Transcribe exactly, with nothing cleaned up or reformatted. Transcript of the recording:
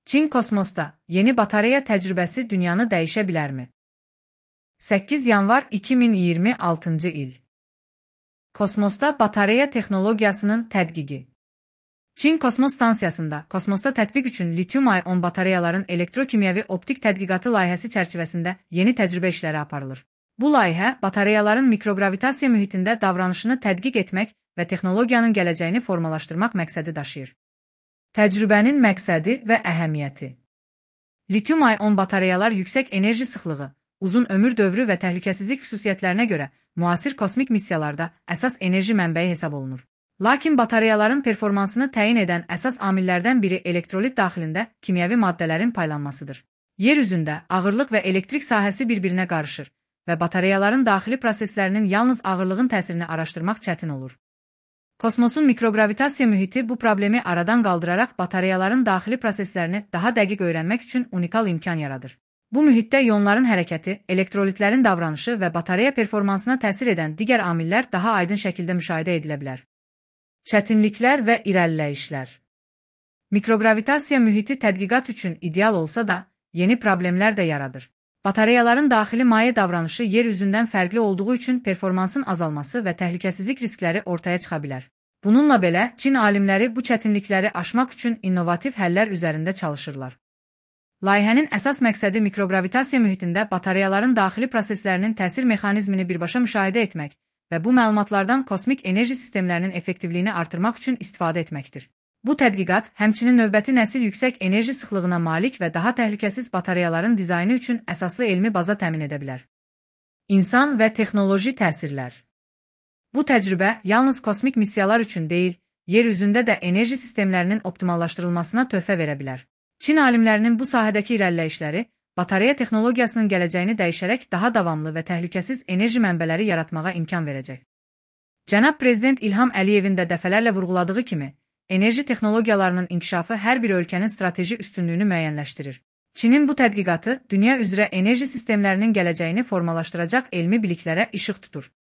Çin kosmosda yeni batareya təcrübəsi dünyanı dəyişə bilərmi? səkkiz yanvar iki min iyirmi altıncı il. Kosmosda batareya texnologiyasının tədqiqi. Çin kosmos stansiyasında kosmosda tətbiq üçün litium-ion batareyaların elektrokimyəvi optik tədqiqatı layihəsi çərçivəsində yeni təcrübə işləri aparılır. Bu layihə batareyaların mikrogravitasiya mühitində davranışını tədqiq etmək və texnologiyanın gələcəyini formalaşdırmaq məqsədi daşıyır. Təcrübənin məqsədi və əhəmiyyəti. Litium-ion batareyalar yüksək enerji sıxlığı, uzun ömür dövrü və təhlükəsizlik xüsusiyyətlərinə görə müasir kosmik missiyalarda əsas enerji mənbəyi hesab olunur. Lakin batareyaların performansını təyin edən əsas amillərdən biri elektrolit daxilində kimyəvi maddələrin paylanmasıdır. Yer üzündə ağırlıq və elektrik sahəsi bir-birinə qarışır və batareyaların daxili proseslərinin yalnız ağırlığın təsirini araşdırmaq çətin olur. Kosmosun mikrogravitasiya mühiti bu problemi aradan qaldıraraq batareyaların daxili proseslərini daha dəqiq öyrənmək üçün unikal imkan yaradır. Bu mühitdə ionların hərəkəti, elektrolitlərin davranışı və batareya performansına təsir edən digər amillər daha aydın şəkildə müşahidə edilə bilər. Çətinliklər və irəliləyişlər. Mikrogravitasiya mühiti tədqiqat üçün ideal olsa da, yeni problemlər də yaradır. Batareyaların daxili maye davranışı yer üzündən fərqli olduğu üçün performansın azalması və təhlükəsizlik riskləri ortaya çıxa bilər. Bununla belə, Çin alimləri bu çətinlikləri aşmaq üçün innovativ həllər üzərində çalışırlar. Layihənin əsas məqsədi mikrogravitasiya mühitində batareyaların daxili proseslərinin təsir mexanizmini birbaşa müşahidə etmək və bu məlumatlardan kosmik enerji sistemlərinin effektivliyini artırmaq üçün istifadə etməkdir. Bu tədqiqat həmçinin növbəti nəsil yüksək enerji sıxlığına malik və daha təhlükəsiz batareyaların dizaynı üçün əsaslı elmi baza təmin edə bilər. İnsan və texnoloji təsirlər. Bu təcrübə yalnız kosmik missiyalar üçün deyil, yer üzündə də enerji sistemlərinin optimallaşdırılmasına töhfə verə bilər. Çin alimlərinin bu sahədəki irəliləyişləri batareya texnologiyasının gələcəyini dəyişərək daha davamlı və təhlükəsiz enerji mənbələri yaratmağa imkan verəcək. Cənab Prezident İlham Əliyevin də dəfələrlə vurğuladığı kimi, enerji texnologiyalarının inkişafı hər bir ölkənin strateji üstünlüyünü müəyyənləşdirir. Çinin bu tədqiqatı dünya üzrə enerji sistemlərinin gələcəyini formalaşdıracaq elmi biliklərə işıq tutur.